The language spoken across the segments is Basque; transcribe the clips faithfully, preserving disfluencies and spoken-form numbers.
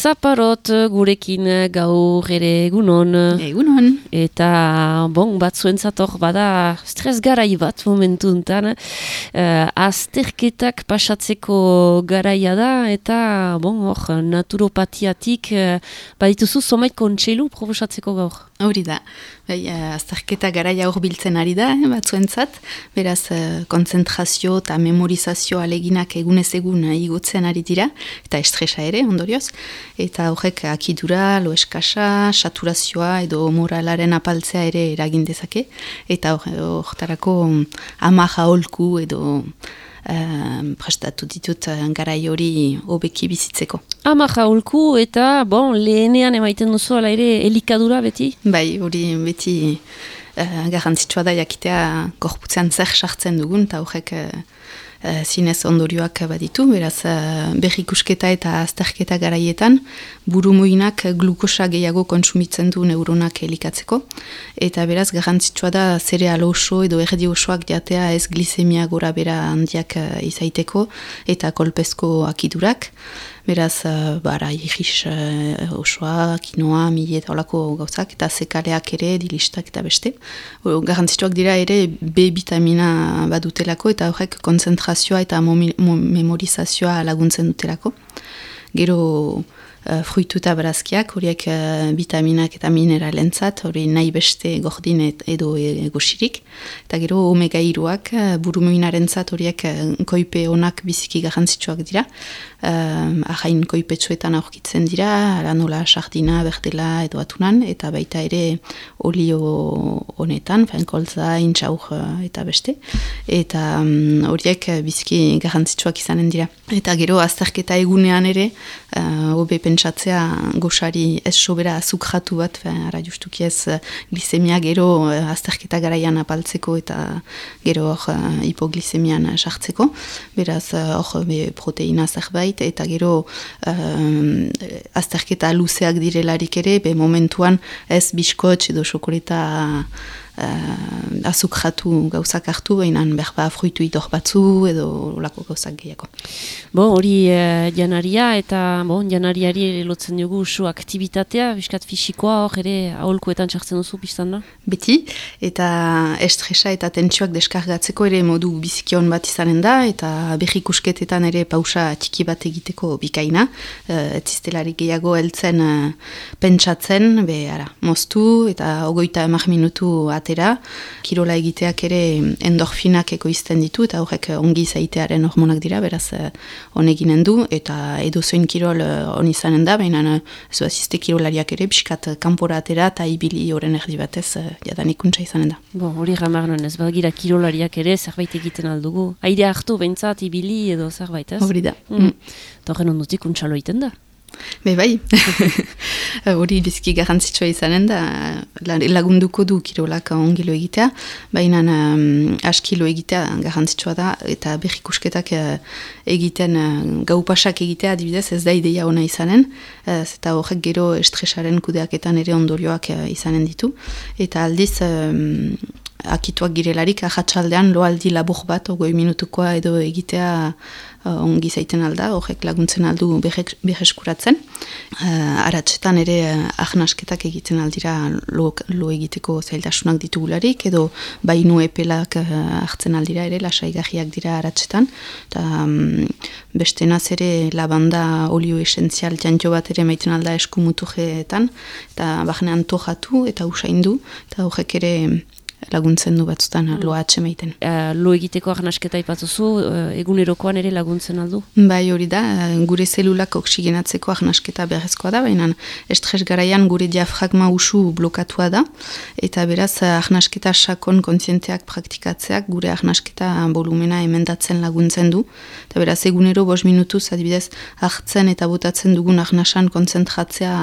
Zaparot gurekin gaur ere egunon. Egunon. Eta, bon, bat zuentzator bada stres garai bat momentu enten. Uh, azterketak pasatzeko garaia da, eta, bon, hor, naturopatiatik uh, badituzu zomait kontseilu proposatzeko gaur. Hori da. Bai, azterketa garaia hor biltzen ari da, eh, bat zuentzat. Beraz, uh, konzentrazio eta memorizazio aleginak egunez egun uh, igotzen ari dira, eta estresa ere, ondorioz. Eta horrek akidura, lo eskasa, saturazioa edo moralaren apaltzea ere eragin dezake. Eta horretarako um, ama jaolku edo uh, prestatu ditut uh, garai hori hobeki bizitzeko. Ama jaolku eta, bon, lehenean emaiten duzu ala ere elikadura beti? Bai, hori beti uh, garrantzitsua da jakitea gorputzean zer sartzen dugun, eta horrek uh, Uh, zinez ondorioak baditu, beraz uh, berrikusketa eta azterketa garaietan burumuinak glukosa gehiago kontsumitzen du neuronak elikatzeko, eta beraz garrantzitsua da zereal oso edo erdi osoak jatea ez glikemia gora bera handiak uh, izaiteko eta kolpezko akidurak. Beraz, uh, bara, irris uh, osoa, kinoa, mili eta olako gauzak, eta zekaleak ere, dilistak eta beste. O, garrantzituak dira ere B vitamina badutelako, eta horrek konzentrazioa eta memorizazioa laguntzen dutelako. Gero uh, fruitu eta barazkiak, horiek uh, vitaminak eta mineralentzat, hori nahi beste gordin et, edo egosirik. Eta gero omega hiruak uh, burumuinarentzat horiek uh, koipe onak biziki garrantzitsuak dira. Uh, ahain koipetsuetan aurkitzen dira, aranola, sardina, berdela edo atunan, eta baita ere olio honetan, kolza, intxaur eta beste. Eta um, horiek biziki garrantzitsuak izanen dira. Eta gero azterketa egunean ere, uh, hobe pentsatzea goxari ez sobera azukratu bat, ara justuki ez glikemia gero uh, azterketa garaian apaltzeko eta gero hor uh, hipoglikemian sartzeko. Beraz hor uh, proteina zerbait, eta gero um, azterketa luzeak direlarik ere, be momentuan ez biskotx edo xokoleta uh, azukratu gauzak hartu, behinan berba fruitu idor batzu edo olako gauzak gehiago. Bo, hori uh, janaria eta bon, janariari ere lotzen dugu usu aktibitatea, biskat fisikoa hor ere aholkuetan txartzen duzu biztan da? Beti, eta estresa eta tentsioak deskargatzeko ere modu bizikion bat izanen da, eta berrikusketetan ere pausa txiki bat egiteko bikaina, uh, etzistelarik gehiago heltzen uh, pentsatzen, be, ara, moztu eta ogoita emak minutu atera, kirola egiteak ere endorfinak ekoizten ditu, eta horrek ongi zaitearen hormonak dira, beraz honeginen du, eta edozoin kirol hon uh, izanen da, baina ez uh, azizte kirolariak ere, pixkat kanpora atera, eta ibili horren erdi batez, uh, jadan ikuntza izanen da. Bo, hori ramar nuen, ez bagira kirolariak ere, zerbait egiten aldugu. Aire hartu, behintzat, ibili edo zerbait, ez? Hori da. Mm. Eta horren ondutik untxalo egiten da. Be bai, hori biziki garrantzitsua izanen da, lagunduko du kirolak ongilo egitea, baina um, askilo egitea garrantzitsua da, eta berrikusketak uh, egiten, uh, gaupasak egitea adibidez ez da ideia ona izanen, uh, eta horrek gero estresaren kudeaketan ere ondorioak uh, izanen ditu, eta aldiz um, akituak girelarik ahatsaldean loaldi labur bat, ogoi minutukoa edo egitea uh, ongi zaiten alda, horrek laguntzen aldu berreskuratzen. Uh, aratsetan ere uh, ahnasketak egiten aldira lo, lo egiteko zailtasunak ditugularik, edo bainu epelak uh, hartzen aldira ere, lasaigarriak dira aratsetan. Eta um, beste naz ere lavanda olio esentzial jantio bat ere maiten alda eskumutujeetan, eta bahnean tojatu eta usaindu, eta horrek ere laguntzen du batzutan mm. loa atxemaiten. Uh, lo egiteko arnasketa ipatuzu, uh, egunerokoan ere laguntzen aldu? Bai, hori da, gure zelulak oksigenatzeko arnasketa beharrezkoa da, baina estres garaian gure diafragma usu blokatua da, eta beraz arnasketa sakon kontzienteak praktikatzeak gure arnasketa volumena emendatzen laguntzen du, eta beraz egunero bost minutuz adibidez hartzen eta botatzen dugun arnasan kontzentratzea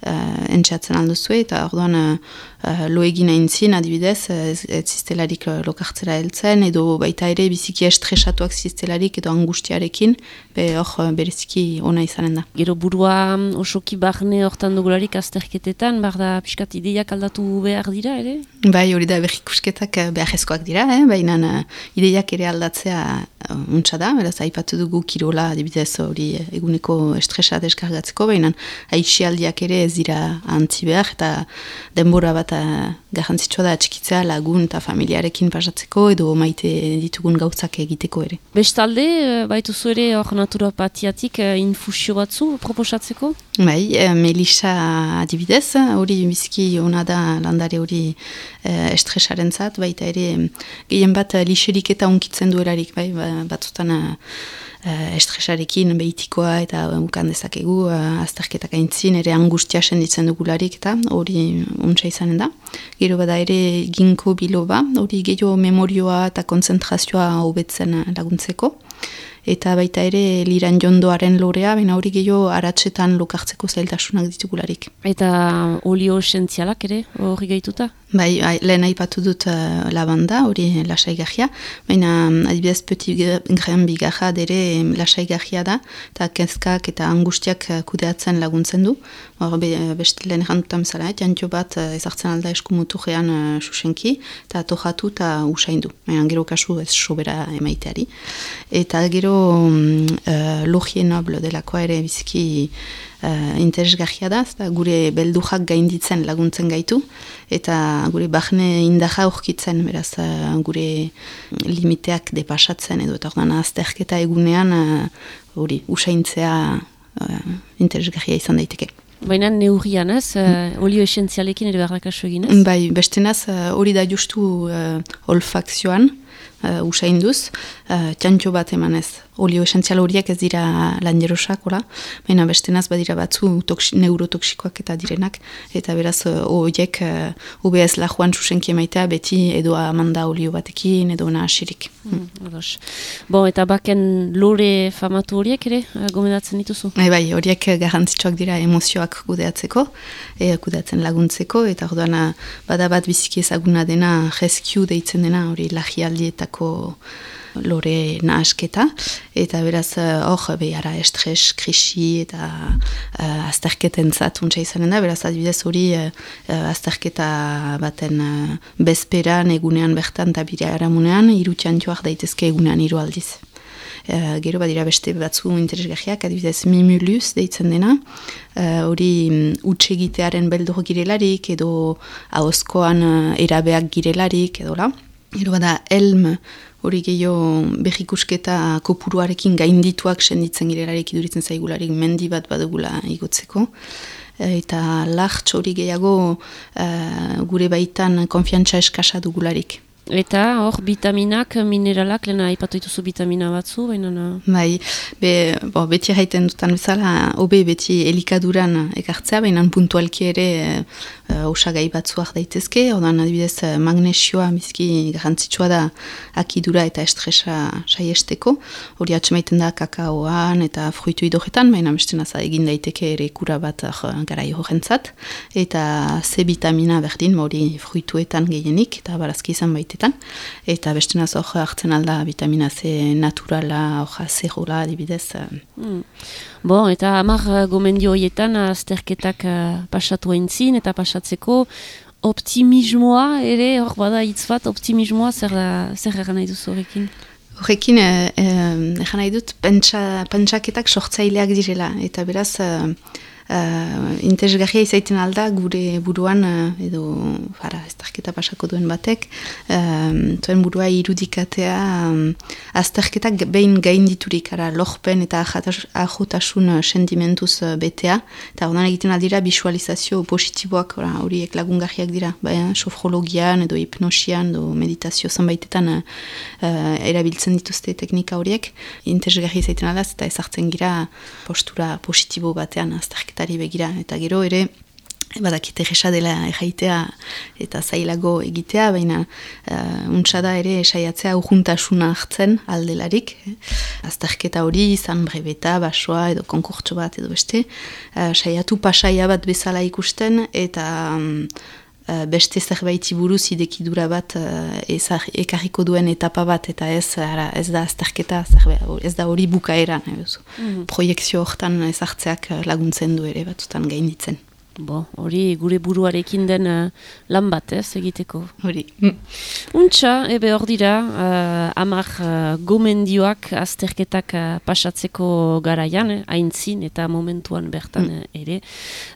Uh, entxatzen alduzue, eta orduan uh, uh, lo egin aintzin, adibidez, ez, ez ziztelarik uh, lokartzera heltzen, edo baita ere biziki estresatuak ziztelarik, edo angustiarekin, be hor bereziki ona izanen da. Gero burua osoki barne hortan dugularik azterketetan, bar da pixkat ideiak aldatu behar dira, ere? Bai, hori da berrikusketak beharrezkoak dira, eh? Baina uh, ideiak ere aldatzea untsa da, beraz, aipatu dugu kirola, adibidez hori eguneko estresa deskargatzeko, baina aixialdiak ere ez dira antzi behar, eta denbora bat garrantzitsua da atxikitzea lagun eta familiarekin pasatzeko, edo maite ditugun gauzak egiteko ere. Bestalde, baituzu ere hor naturopatiatik infusio batzu proposatzeko? Bai, Melisa adibidez, hori biziki ona da landare hori estresaren zat, baita ere gehien bat lixerik eta unkitzen duelarik, bai, batzutan uh, estresarekin behitikoa eta ukan dezakegu, uh, azterketak aintzin, ere angustia senditzen dugularik eta hori untsa izanen da. Gero bada ere ginko biloba, hori gehiago memorioa eta konzentrazioa hobetzen laguntzeko. Eta baita ere liran jondoaren lorea, baina hori gehiago aratsetan lokartzeko zailtasunak ditugularik. Eta olio esentzialak ere hori gehituta? Bai, lehen aipatu dut uh, lavanda, hori lasaigarria, baina adibidez petit grain bigarra dere lasaigarria da, eta kezkak eta angustiak kudeatzen laguntzen du. Hor, be, beste lehen errandutan bezala, jantio bat ezartzen alda eskumuturrean uh, susenki, eta tojatu eta usaindu. Baina gero kasu ez sobera emaiteari. Eta gero um, uh, logie noble delakoa ere biziki Uh, interesgarria da, eta gure beldujak gainditzen laguntzen gaitu, eta gure bahne indaja aurkitzen, beraz uh, gure limiteak depasatzen edo, eta ordan azterketa egunean hori uh, usaintzea uh, interesgarria izan daiteke. Baina neurrian ez, uh, olio esentzialekin ere barrakaso egin ez? Bai, bestenaz hori uh, da justu uh, olfakzioan, uh, usainduz, uh, txantxo bat emanez. Olio esentzial horiek ez dira lanjerosak, baina bestenaz badira batzu toksi, neurotoksikoak eta direnak, eta beraz horiek uh, U B S lajuan susenki emaitea beti edo amanda olio batekin edo nahasirik. Mm, bon, eta baken lore famatu horiek ere gomendatzen dituzu? E, bai, horiek garrantzitsuak dira emozioak kudeatzeko, e, kudeatzen laguntzeko, eta orduan bada bat biziki ezaguna dena rescue deitzen dena, hori lagialdietako lore nahasketa, eta beraz hor behara estres, krisi eta uh, azterketen zatuntza izanen da, beraz adibidez hori uh, azterketa baten uh, bezperan egunean bertan eta bire aramunean, hiru txantxoak daitezke egunean hiru aldiz. Uh, gero badira beste batzu interesgarriak, adibidez mimuluz deitzen dena, hori uh, utsegitearen beldur girelarik edo ahozkoan uh, erabeak girelarik edo la. Gero bada elm, hori gehiago behikusketa kopuruarekin gaindituak senditzen girelarik iduritzen zaigularik mendi bat badugula igotzeko. Eta lahtz hori gehiago uh, gure baitan konfiantza eskasa dugularik. Eta hor vitaminak, mineralak, lehena aipatu dituzu vitamina batzu, baina... Bai, be, bo, beti haiten dutan bezala, hobe beti elikaduran ekartzea, baina puntualki ere uh, osagai batzuak daitezke, odan adibidez magnesioa bizki garrantzitsua da akidura eta estresa saiesteko, hori atxemaiten da kakaoan eta fruitu idoretan, baina bestenaza egin daiteke ere kura bat uh, garai horrentzat, eta C vitamina berdin, hori fruituetan gehienik, eta barazki izan baita. Eta bestenaz hor hartzen alda vitamina C naturala, hoja zerola, adibidez. Mm. Bon, eta hamar gomendio horietan azterketak uh, pasatu aintzin eta pasatzeko optimismoa ere, hor bada hitz bat, optimismoa zer, zer egan nahi duzu horrekin? Horrekin, egan nahi dut, pentsa, pentsaketak sortzaileak direla, eta beraz... Uh, Uh, interesgarria izaiten alda gure buruan uh, edo fara, azterketa pasako duen batek uh, zuen burua irudikatea um, azterketak behin gainditurik ara lorpen eta ahotasun sentimentuz uh, betea eta ordan egiten aldira visualizazio positiboak horiek lagungarriak dira baina sofrologian edo hipnosian edo meditazio zanbaitetan uh, uh, erabiltzen dituzte teknika horiek interesgarria izaiten aldaz eta ezartzen gira postura positibo batean azterketa begira, eta gero ere badakite resa dela erraitea eta zailago egitea, baina uh, untsa da ere saiatzea urjuntasuna hartzen aldelarik. Azterketa hori izan brebeta, basoa edo konkurtso bat edo beste, uh, saiatu pasaia bat bezala ikusten eta um, uh, beste zerbaiti buruz idekidura bat uh, ekarriko duen etapa bat eta ez, ara, ez da azterketa, ez da hori bukaeran. Mm-hmm. Proiekzio hortan ezartzeak laguntzen du ere batzutan gainditzen. Bo, hori gure buruarekin den uh, lan bat, ez, egiteko. Hori. Untxa, ebe hor dira, uh, amar uh, gomendioak azterketak uh, pasatzeko garaian, eh, aintzin eta momentuan bertan mm. ere,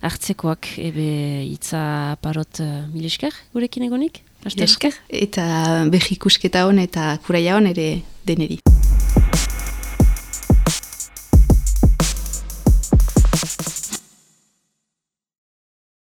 hartzekoak, ebe itza parot uh, milesker gurekin egonik? Milesker, eta behikusketa hon eta kuraia hon ere deneri.